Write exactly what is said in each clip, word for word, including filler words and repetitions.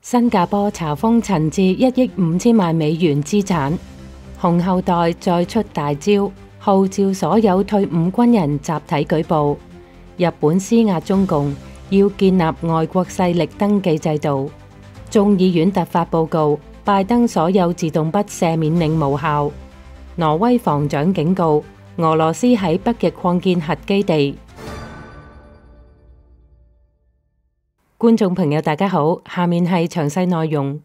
新加坡查封陳志一億五千萬美元資產，紅後代再出大招，號召所有退伍軍人集體舉報。日本施壓中共，要建立外國勢力登記制度。眾議院突發報告，拜登所有自動筆赦免令無效。挪威防長警告，俄羅斯喺北極擴建核基地。觀眾朋友大家好，下面係詳細內容。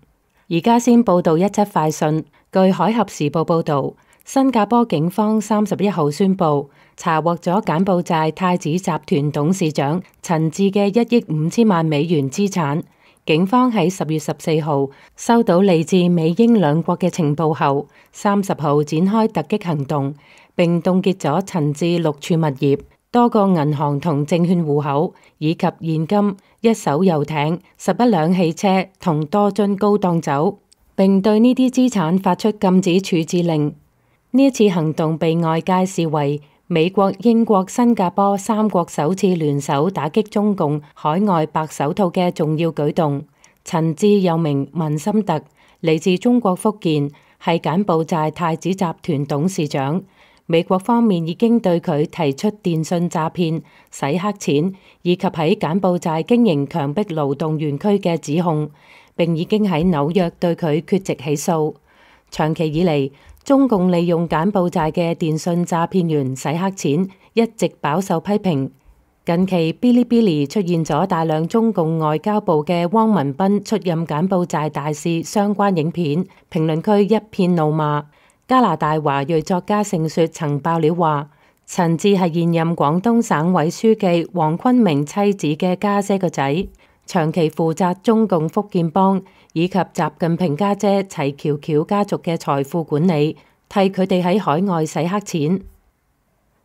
而家先報道一則快訊。據海峽時報報道，新加坡警方三十一號宣布查獲咗柬埔寨太子集團董事長陳志嘅一億五千萬美元資產。警方喺十月十四號收到嚟自美英兩國嘅情報後，三十號展開突擊行動，並凍結咗陳志六處物業、多個銀行同證券戶口，以及現金、一艘遊艇、十一輛汽車同多樽高檔酒，並對呢啲資產發出禁止處置令。呢一次行動被外界視為美國、英國、新加坡三國首次聯手打擊中共海外白手套嘅重要舉動。陳志又名文森特，嚟自中國福建，係柬埔寨太子集團董事長。美國方面已經對佢提出電信詐騙、洗黑錢以及喺柬埔寨經營強迫勞動園區嘅指控，並已經喺紐約對佢缺席起訴。長期以嚟，中共利用柬埔寨嘅電信詐騙員洗黑錢，一直飽受批評。近期嗶哩嗶哩出現咗大量中共外交部嘅汪文斌出任柬埔寨大使相關影片，評論區一片怒罵。加拿大華裔作家盛雪曾爆料話，陳志係現任廣東省委書記黃坤明妻子嘅家姐個仔，長期負責中共福建幫以及習近平家姐齊喬喬家族嘅財富管理，替佢哋喺海外洗黑錢。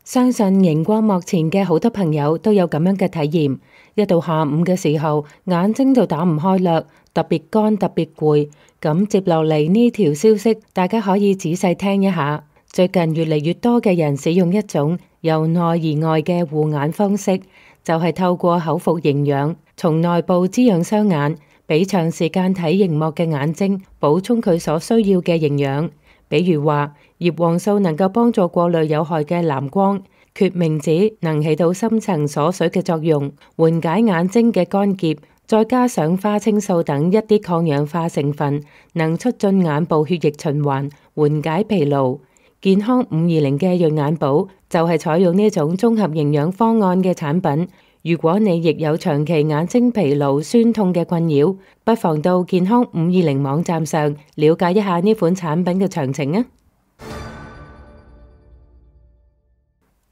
相信熒光幕前嘅好多朋友都有咁樣嘅體驗，一到下午嘅時候，眼睛就打唔開啦，特別乾，特別攰。咁接落嚟呢條消息，大家可以仔細聽一下。最近越嚟越多嘅人使用一種由內而外嘅護眼方式，就係透過口服營養，從內部滋養雙眼，俾長時間睇熒幕嘅眼睛補充佢所需要嘅營養。比如話，葉黃素能夠幫助過濾有害嘅藍光，決明子能起到深層鎖水嘅作用，緩解眼睛嘅乾澀。再加上花青素等一啲抗氧化成分，能促進眼部血液循環，緩解疲勞。健康五二零嘅潤眼寶就係採用呢種綜合營養方案嘅產品。如果你亦有長期眼睛疲勞、酸痛嘅困擾，不妨到健康五二零網站上了解一下呢款產品嘅詳情啊！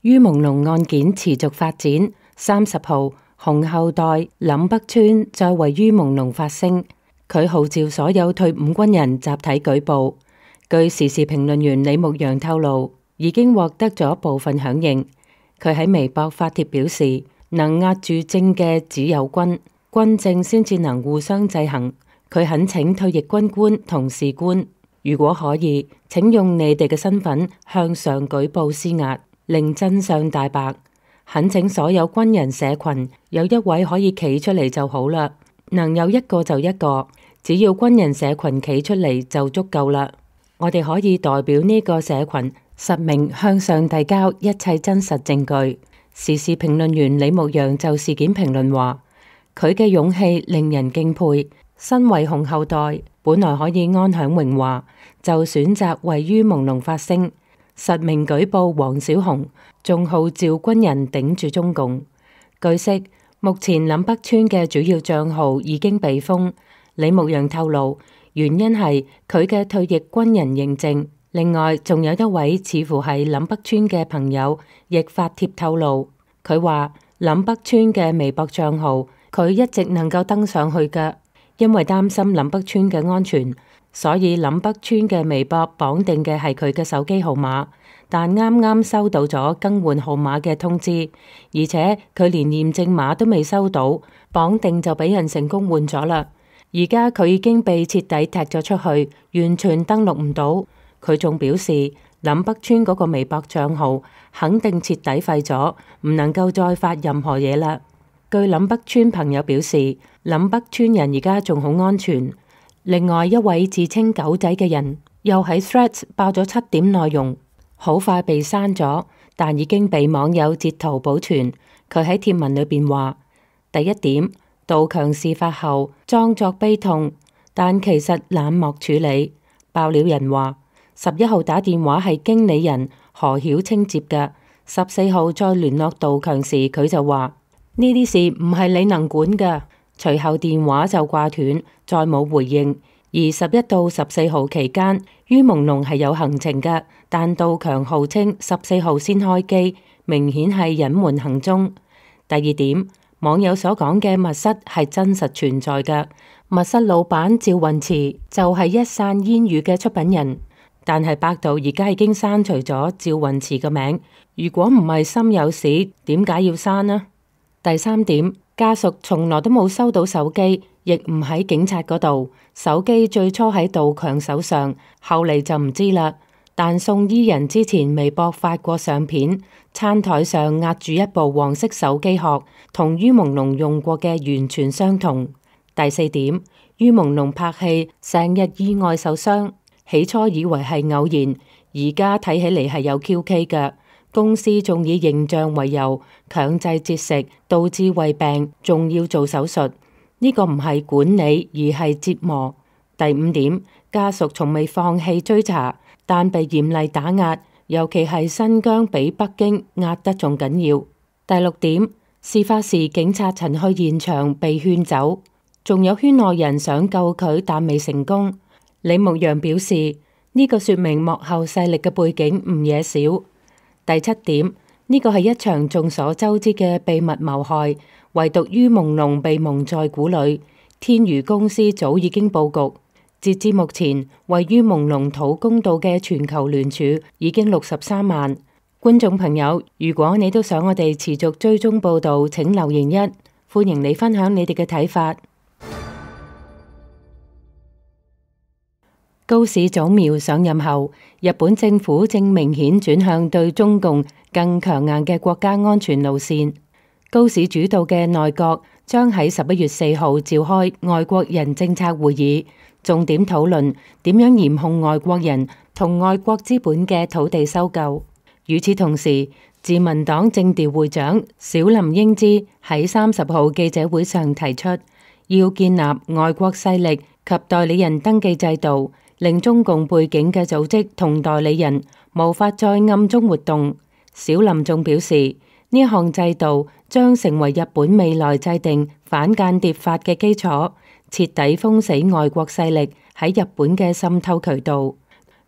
于朦朧案件持續發展，三十號。紅後代林北川再為于朦朧發聲，佢號召所有退伍軍人集體舉報。據時事評論員李牧陽透露，已經獲得咗部分響應。佢喺微博發帖表示，能壓住政嘅只有軍，軍政先至能互相制衡。佢懇請退役軍官同士官，如果可以，請用你哋嘅身份向上舉報施壓，令真相大白。懇請所有軍人社群有一位可以企出嚟就好啦，能有一個就一個，只要軍人社群企出嚟就足夠啦。我哋可以代表呢個社群實名向上遞交一切真實證據。時事評論員李牧陽就事件評論話，佢嘅勇氣令人敬佩。身為紅後代，本來可以安享榮華，就選擇為于朦朧發聲。實名舉報黃小紅，仲號召軍人頂住中共。據悉，目前林北川嘅主要賬號已經被封。李牧陽透露，原因係佢嘅退役軍人認證。另外，仲有一位似乎係林北川嘅朋友，亦發帖透露，佢話林北川嘅微博賬號佢一直能夠登上去嘅，因為擔心林北川嘅安全。所以林北川嘅微博綁定嘅係佢嘅手機號碼，但啱啱收到咗更換號碼嘅通知，而且佢連驗證碼都未收到，綁定就俾人成功換咗啦。而家佢已經被徹底踢咗出去，完全登錄唔到。佢仲表示林北川嗰個微博賬號肯定徹底廢咗，唔能夠再發任何嘢啦。據林北村朋友表示，林北村人而家仲好安全。另外一位自稱狗仔嘅人又喺 Threads 爆咗七點內容，好快被刪咗，但已經被網友截圖保存。佢喺貼文裏邊話：第一點，杜強事發後裝作悲痛，但其實冷漠處理。爆料人話，十一號打電話係經理人何曉清接嘅，十四號再聯絡杜強時，佢就話呢啲事唔係你能管嘅。隨後電話就掛斷，再冇回應。而十一到十四號期間，于朦朧係有行程嘅，但杜強號稱十四號先開機，明顯係隱瞞行蹤。第二點，網友所講嘅密室係真實存在嘅，密室老闆趙雲池就係一散煙雨嘅出品人，但係百度而家已經刪除咗趙雲池嘅名。如果唔係心有事，點解要刪呢？第三點，家屬從來都冇收到手機，亦唔喺警察嗰度。手機最初喺杜強手上，後嚟就唔知啦。但送醫人之前微博發過相片，餐台上壓住一部黃色手機殼，同于朦朧用過嘅完全相同。第四點，于朦朧拍戲成日意外受傷，起初以為係偶然，而家睇起嚟係有 Q K 嘅。公司仲以形象為由強制節食，導致胃病，仲要做手術。呢個唔係管理，而係折磨。第五點，家屬從未放棄追查，但被嚴厲打壓，尤其係新疆比北京壓得仲緊要。第六點，事發時警察曾去現場被勸走，仲有圈內人想救佢，但未成功。李牧陽表示，呢個說明幕後勢力嘅背景唔嘢少。第七點，呢個係一場眾所周知嘅秘密謀害，唯獨于朦朧被蒙在鼓裏。天娛公司早已經佈局，截至目前，為于朦朧討公道嘅全球聯署已經六十三萬。觀眾朋友，如果你都想我哋持續追蹤報道，請留言一，歡迎你分享你哋嘅睇法。高市早苗上任後，日本政府正明顯轉向對中共更強硬嘅國家安全路線。高市主導嘅內閣將喺十一月四號召開外國人政策會議，重點討論點樣嚴控外國人同外國資本嘅土地收購。與此同時，自民黨政調會長小林英之喺三十號記者會上提出，要建立外國勢力及代理人登記制度，令中共背景嘅組織同代理人無法再暗中活動。小林仲表示，呢項制度將成為日本未來制定反間諜法嘅基礎，徹底封死外國勢力喺日本嘅滲透渠道。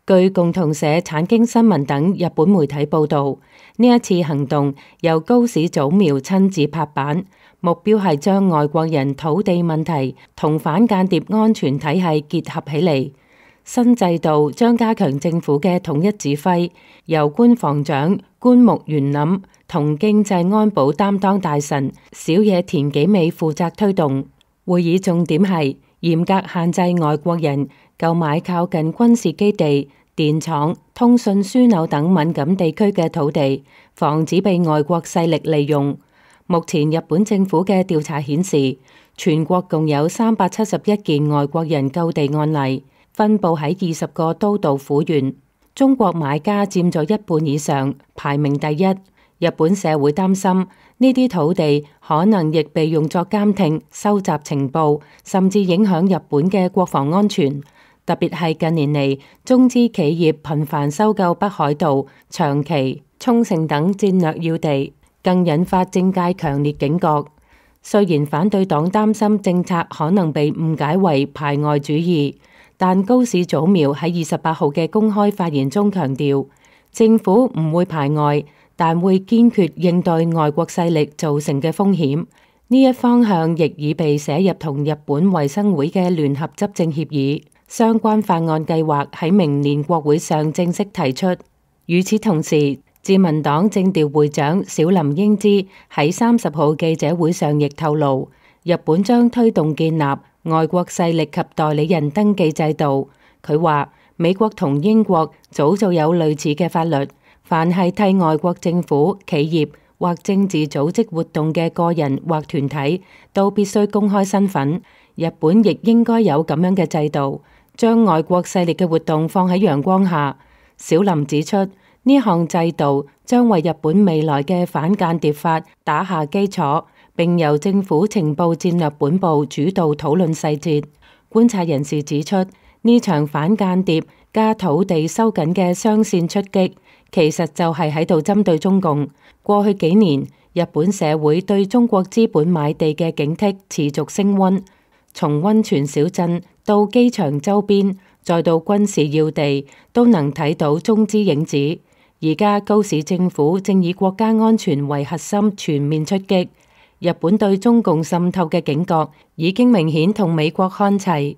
據共同社、產經新聞等日本媒體報道，呢一次行動由高市早苗親自拍板，目標係將外國人土地問題同反間諜安全體系結合起嚟。新制度將加強政府嘅統一指揮，由官房長官木原稔同經濟安保擔當大臣小野田紀美負責推動。會議重點係嚴格限制外國人購買靠近軍事基地、電廠、通訊樞紐等敏感地區嘅土地，防止被外國勢力利用。目前日本政府嘅調查顯示，全國共有三百七十一件外國人購地案例，分佈喺二十個都道府縣。中國買家佔咗一半以上，排名第一。日本社會擔心呢啲土地可能亦被用作監聽、收集情報，甚至影響日本嘅國防安全。特別係近年嚟，中資企業頻繁收購北海道、長崎、沖繩等戰略要地，更引發政界強烈警覺。雖然反對黨擔心政策可能被誤解為排外主義，但高市早苗喺二十八號嘅公開發言中強調，政府唔會排外，但會堅決應對外國勢力造成嘅風險。呢一方向亦已被寫入同日本衛生會嘅聯合執政協議，相關法案計劃喺明年國會上正式提出。與此同時，自民黨政調會長小林英之喺三十號記者會上亦透露，日本將推動建立外國勢力及代理人登記制度。佢話美國同英國早就有類似嘅法律，凡係替外國政府、企業或政治組織活動嘅個人或團體都必須公開身份。日本亦應該有咁樣嘅制度，將外國勢力嘅活動放喺陽光下。小林指出，呢項制度將為日本未來嘅反間諜法打下基礎，並由政府情報戰略本部主導討論細節。觀察人士指出，呢場反間諜加土地收緊嘅雙線出擊，其實就係喺度針對中共。過去幾年，日本社會對中國資本買地嘅警惕持續升溫，從溫泉小鎮到機場周邊，再到軍事要地，都能睇到中資影子。而家高市政府正以國家安全為核心全面出擊，日本對中共滲透嘅警覺已經明顯同美國看齊。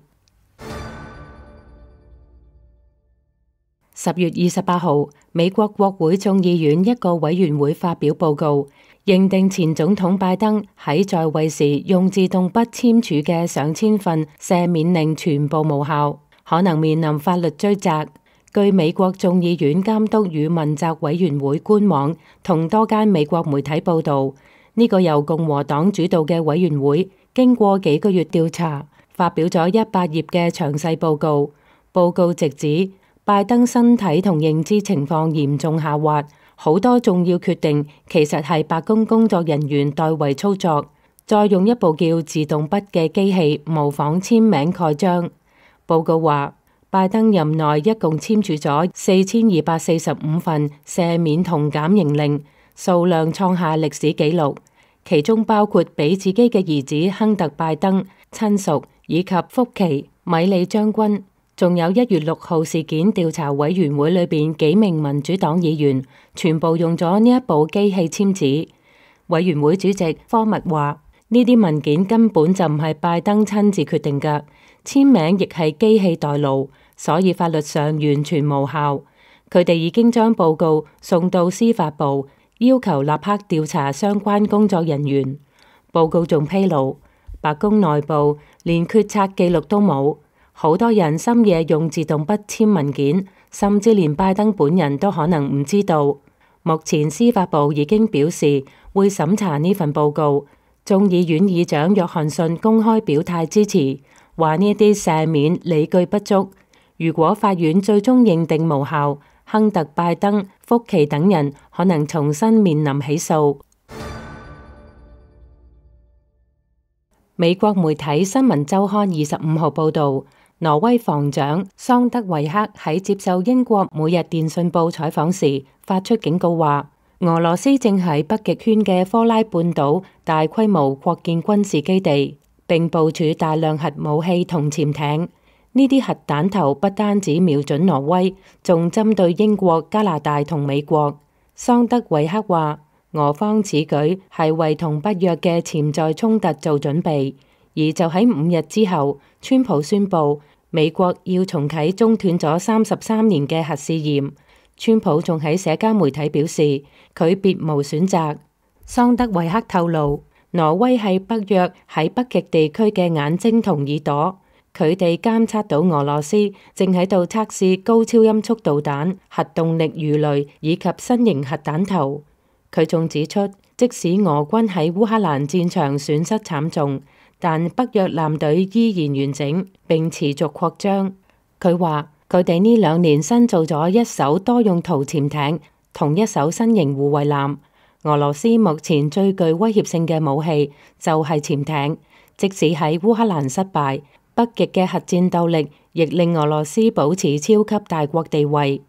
十月二十八號，美國國會眾議院一個委員會發表報告，認定前總統拜登喺在，在位時用自動筆簽署嘅上千份赦免令全部無效，可能面臨法律追責。據美國眾議院監督與問責委員會官網同多間美國媒體報道，呢、這個由共和黨主導嘅委員會經過幾個月調查，發表咗一百頁嘅詳細報告。報告直指拜登身體同認知情況嚴重下滑，好多重要決定其實係白宮工作人員代為操作，再用一部叫自動筆嘅機器模仿簽名蓋章。報告話，拜登任內一共簽署咗四千二百四十五份赦免同減刑令，數量創下歷史紀錄，其中包括俾自己嘅兒子亨特拜登、親屬以及福奇、米利將軍，仲有一月六號事件調查委員會裏邊幾名民主黨議員，全部用咗呢一部機器簽字。委員會主席科密話：呢啲文件根本就唔係拜登親自決定㗎，簽名亦係機器代勞。所以法律上完全無效。佢哋已經將報告送到司法部，要求立刻調查相關工作人員。報告仲披露，白宮內部連決策記錄都冇，好多人深夜用自動筆簽文件，甚至連拜登本人都可能唔知道。目前司法部已經表示會審查呢份報告。眾議院議長約翰遜公開表態支持，話呢啲赦免理據不足。如果法院最終認定無效，亨特拜登、福奇等人可能重新面臨起訴。美國媒體《新聞週刊》二十五號報導，挪威防長桑德維克喺接受英國每日電訊報採訪時發出警告話，俄羅斯正喺北極圈嘅科拉半島大規模擴建軍事基地，並部署大量核武器同潛艇。呢啲核彈頭不單止瞄準挪威，仲針對英國、加拿大同美國。桑德維克話，俄方此舉係為同北約嘅潛在衝突做準備。而就喺五日之後，川普宣布美國要重啟中斷咗三十三年嘅核試驗。川普仲喺社交媒體表示，佢別無選擇。桑德維克透露，挪威係北約喺北極地區嘅眼睛同耳朵。佢哋監測到俄羅斯正喺度測試高超音速導彈、核動力魚雷以及新型核彈頭。佢仲指出，即使俄軍喺烏克蘭戰場損失慘重，但北約艦隊依然完整並持續擴張。佢話佢哋呢兩年新造咗一艘多用途潛艇同一艘新型護衛艦。俄羅斯目前最具威脅性嘅武器就係潛艇，即使喺烏克蘭失敗，北極嘅核戰鬥力亦令俄羅斯保持超級大國地位。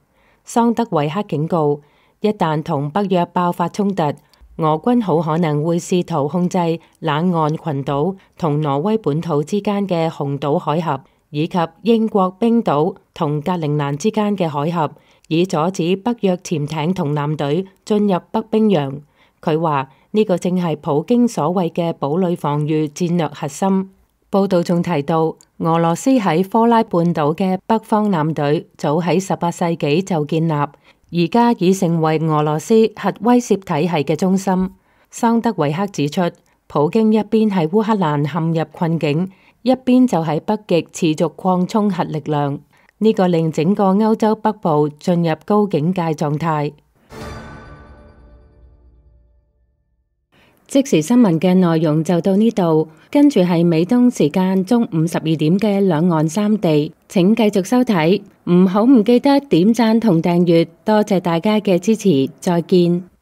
桑德維克警告，一旦同北約爆發衝突，俄軍好可能會試圖控制冷岸群島同挪威本土之間嘅紅島海峽，以及英國冰島同格陵蘭之間嘅海峽，以阻止北約潛艇同艦隊進入北冰洋。佢話呢個正係普京所謂嘅堡壘防禦戰略核心。報道仲提到，俄羅斯喺科拉半島嘅北方艦隊早喺十八世紀就建立，而家已成為俄羅斯核威懾體系嘅中心。桑德維克指出，普京一邊喺烏克蘭陷入困境，一邊就喺北極持續擴充核力量，呢、這個令整個歐洲北部進入高警戒狀態。即時新聞嘅內容就到呢度，跟住係美東時間中午十二點嘅兩岸三地，請繼續收睇，唔好唔記得點讚同訂閱，多謝大家嘅支持，再見。